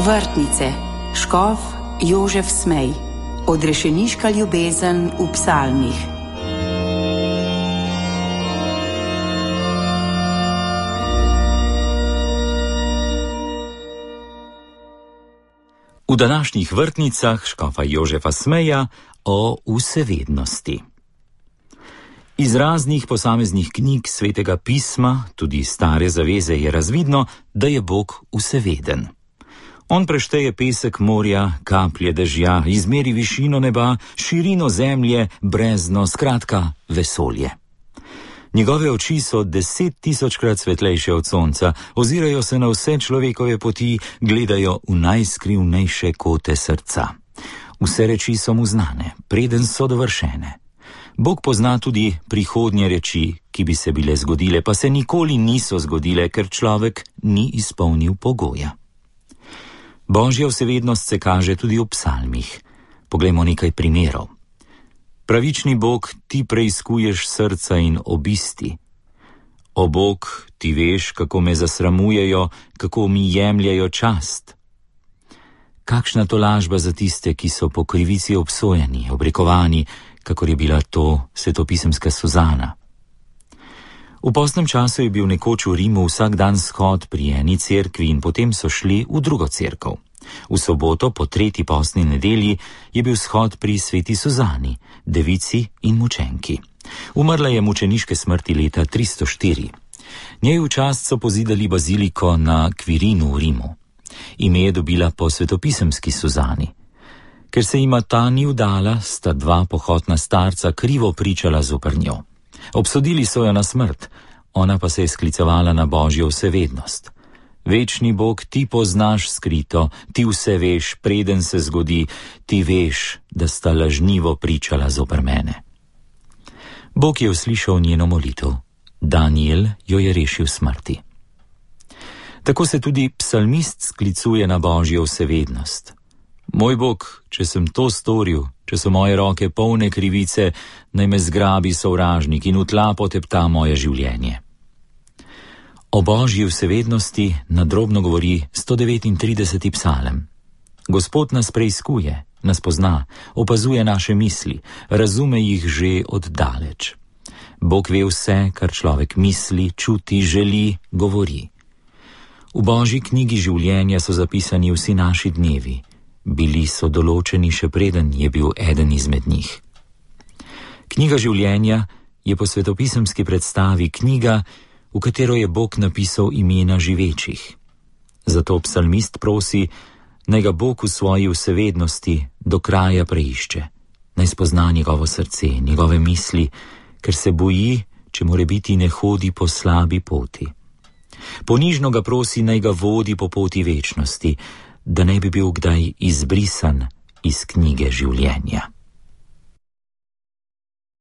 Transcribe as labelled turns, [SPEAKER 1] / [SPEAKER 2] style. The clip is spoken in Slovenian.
[SPEAKER 1] Vrtnice, škof Jožef Smej, odrešeniška ljubezen v psalmih.
[SPEAKER 2] V današnjih vrtnicah škofa Jožefa Smeja o vsevednosti. Iz raznih posameznih knjig Svetega pisma, tudi Stare zaveze, je razvidno, da je Bog vseveden. On prešteje pesek morja, kaplje dežja, izmeri višino neba, širino zemlje, brezno, skratka vesolje. Njegove oči so 10.000-krat svetlejše od sonca, ozirajo se na vse človekove poti, gledajo v najskrivnejše kote srca. Vse reči so mu znane, preden so dovršene. Bog pozna tudi prihodnje reči, ki bi se bile zgodile, pa se nikoli niso zgodile, ker človek ni izpolnil pogoja. Božja vsevednost se kaže tudi v psalmih. Poglejmo nekaj primerov. Pravični Bog, ti preizkuješ srca in obisti. O Bog, ti veš, kako me zasramujejo, kako mi jemljajo čast. Kakšna tolažba za tiste, ki so po krivici obsojeni, obrekovani, kakor je bila to svetopisemska Suzana. V postnem času je bil nekoč v Rimu vsak dan shod pri eni cerkvi in potem so šli v drugo cerkev. V soboto po 3. postni nedelji je bil shod pri sveti Suzani, devici in mučenki. Umrla je mučeniške smrti leta 304. Njej v čast so pozidali baziliko na Quirinu v Rimu. Ime je dobila po svetopisemski Suzani. Ker se jima ta ni vdala, sta dva pohotna starca krivo pričala zoper njo. Obsodili so jo na smrt, ona pa se je sklicevala na Božjo vsevednost. Večni Bog, ti poznaš skrito, ti vse veš, preden se zgodi, ti veš, da sta lažnivo pričala zoper mene. Bog je uslišal njeno molitev. Daniel jo je rešil smrti. Tako se tudi psalmist sklicuje na Božjo vsevednost. Moj Bog, če sem to storil, če so moje roke polne krivice, naj me zgrabi sovražnik in v tla potepta moje življenje. O Božji vsevednosti nadrobno govori 139. psalem. Gospod nas preiskuje, nas pozna, opazuje naše misli, razume jih že od daleč. Bog ve vse, kar človek misli, čuti, želi, govori. V Božji knjigi življenja so zapisani vsi naši dnevi. Bili so določeni še preden je bil eden izmed njih. Knjiga življenja je po svetopisemski predstavi knjiga, v katero je Bog napisal imena živečih. Zato psalmist prosi, naj ga Bog v svoji vsevednosti do kraja preišče, naj spozna njegovo srce, njegove misli, ker se boji, če morebiti ne hodi po slabi poti. Ponižno ga prosi, naj ga vodi po poti večnosti, da ne bi bil kdaj izbrisan iz knjige življenja.